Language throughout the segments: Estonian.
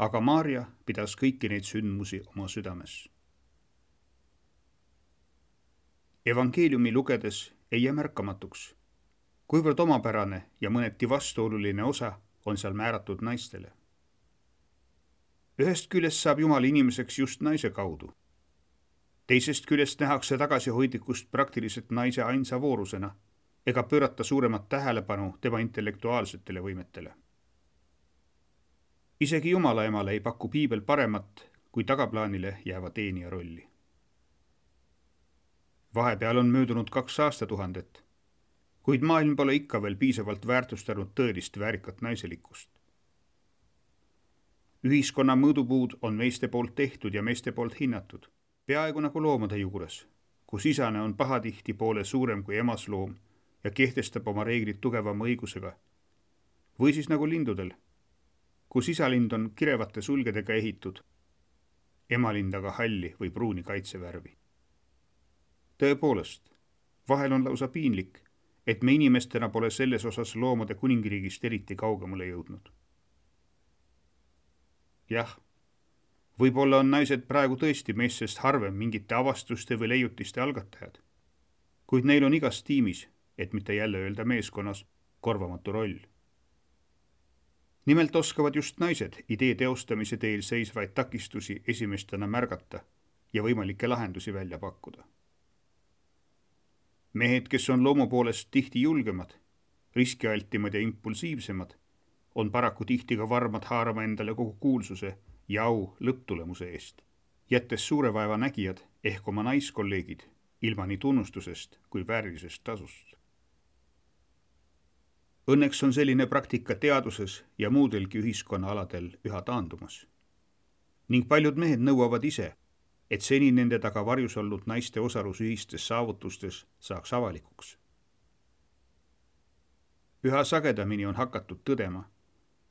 aga Maarja pidas kõiki neid sündmusi oma südames. Evangeeliumi lugedes ei jää märkamatuks, kuivõrd omapärane ja mõneti vastuoluline osa on seal määratud naistele. Ühest küljest saab Jumal inimeseks just naise kaudu. Teisest küljest nähakse tagasihoidlikkust praktiliselt naise ainsa voorusena ega pöörata suuremat tähelepanu tema intellektuaalsetele võimetele. Isegi Jumala emale ei paku piibel paremat kui tagaplaanile jääva teenija rolli. Vahepeal on möödunud 2 aastatuhandet, kuid maailm pole ikka veel piisavalt väärtustanud tõelist väärikat naiselikkust. Ühiskonna mõõdupuud on meeste poolt tehtud ja meeste poolt hinnatud, peaaegu nagu loomade juures, kus isane on pahatihti poole suurem kui emasloom ja kehtestab oma reeglid tugevama õigusega. Või siis nagu lindudel, kus isalind on kirevate sulgedega ehitud, emalind aga halli või pruuni kaitsevärvi. Tõepoolest, vahel on lausa piinlik, et me inimestena pole selles osas loomade kuningriigist eriti kaugemale jõudnud. Jah, võib-olla on naised praegu tõesti meestest harvem mingite avastuste või leiutiste algatajad, kuid neil on igas tiimis, et mitte jälle öelda meeskonnas, korvamatu roll. Nimelt oskavad just naised idee teostamise teel seisvaid takistusi esimestena märgata ja võimalikke lahendusi välja pakkuda. Mehed, kes on loomu poolest tihti julgemad, riskialtimad ja impulsiivsemad, on paraku tihti ka varmad haarama endale kogu kuulsuse ja au lõpptulemuse eest, jättes suure vaeva nägijad ehk oma naiskolleegid ilma nii tunnustusest kui väärilisest tasust. Õnneks on selline praktika teaduses ja muudelgi ühiskonnaaladel üha taandumas. Ning paljud mehed nõuavad ise, et seni nende taga varjus olnud naiste osalus ühistes saavutustes saaks avalikuks. Üha sagedamini on hakatud tõdema,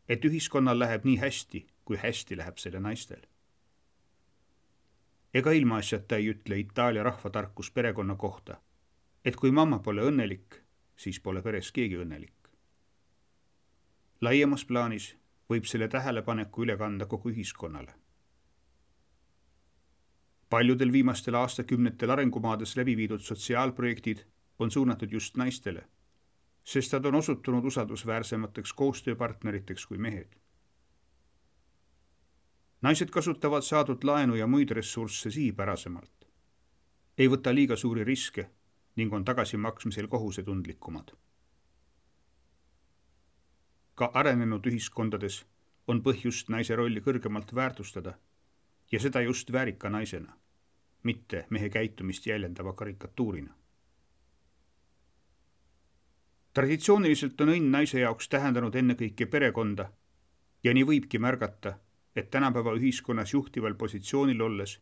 et ühiskonnal läheb nii hästi, kui hästi läheb selle naistel. Ega ilmaasjata ei ütle Itaalia rahvatarkus perekonna kohta, et kui mamma pole õnnelik, siis pole peres keegi õnnelik. Laiemas plaanis võib selle tähelepaneku üle kanda kogu ühiskonnale. Paljudel viimastel aastakümnetel arengumaades läbi viidud sotsiaalprojektid on suunatud just naistele, sest nad on osutunud usaldusväärsemateks koostööpartneriteks kui mehed. Naised kasutavad saadud laenu ja muid ressursse sihipärasemalt, ei võta liiga suuri riske ning on tagasimaksmisel kohusetundlikumad. Ka arenenud ühiskondades on põhjust naise rolli kõrgemalt väärtustada ja seda just väärika naisena, mitte mehe käitumist jäljendava karikatuurina. Traditsiooniliselt on õnn naise jaoks tähendanud ennekõike perekonda ja nii võibki märgata, et tänapäeva ühiskonnas juhtival positsioonil olles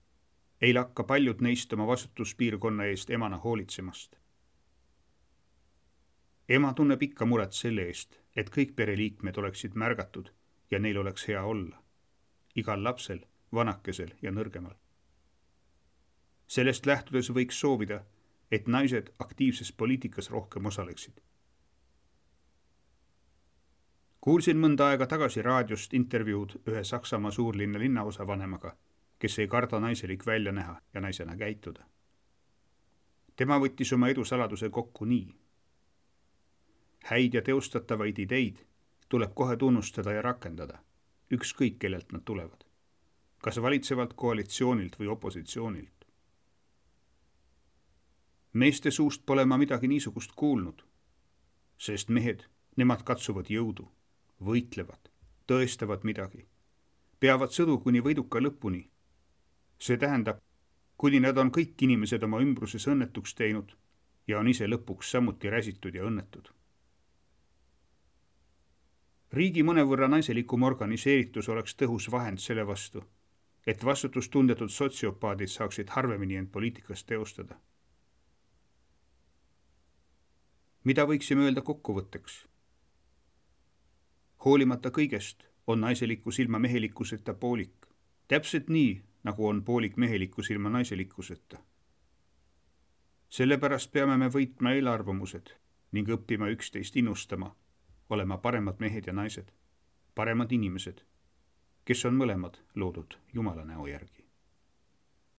ei lakka paljud neist oma vastutuspiirkonna eest emana hoolitsemast. Ema tunneb ikka muret selle eest, et kõik pereliikmed oleksid märgatud ja neil oleks hea olla. Igal lapsel, vanakesel ja nõrgemal. Sellest lähtudes võiks soovida, et naised aktiivses poliitikas rohkem osaleksid. Kuulsin mõnda aega tagasi raadiost intervjuud ühe Saksamaa suurlinna linnaosa vanemaga, kes ei karda naiselik välja näha ja naisena käituda. Tema võttis oma edu saladuse kokku nii. Häid ja teostatavaid ideid tuleb kohe tunnustada ja rakendada, ükskõik kellelt nad tulevad, kas valitsevalt koalitsioonilt või opositsioonilt. Meeste suust pole ma midagi niisugust kuulnud, sest mehed, nemad katsuvad jõudu, võitlevad, tõestavad midagi, peavad sõdu kuni võiduka lõpuni. See tähendab, kuni nad on kõik inimesed oma ümbruses õnnetuks teinud ja on ise lõpuks samuti räsitud ja õnnetud. Riigi mõnevõrra naiselikum organiseeritus oleks tõhus vahend selle vastu, et vastutustundetud sotsiopaadid saaksid harvemini end poliitikas teostada. Mida võiksime öelda kokkuvõtteks? Hoolimata kõigest on naiselikkus ilma mehelikkuseta poolik, täpselt nii, nagu on poolik mehelikkus ilma naiselikkuseta. Sellepärast peame me võitma eelarvamused ning õppima üksteist innustama, olema paremad mehed ja naised, paremad inimesed, kes on mõlemad loodud Jumala näo järgi.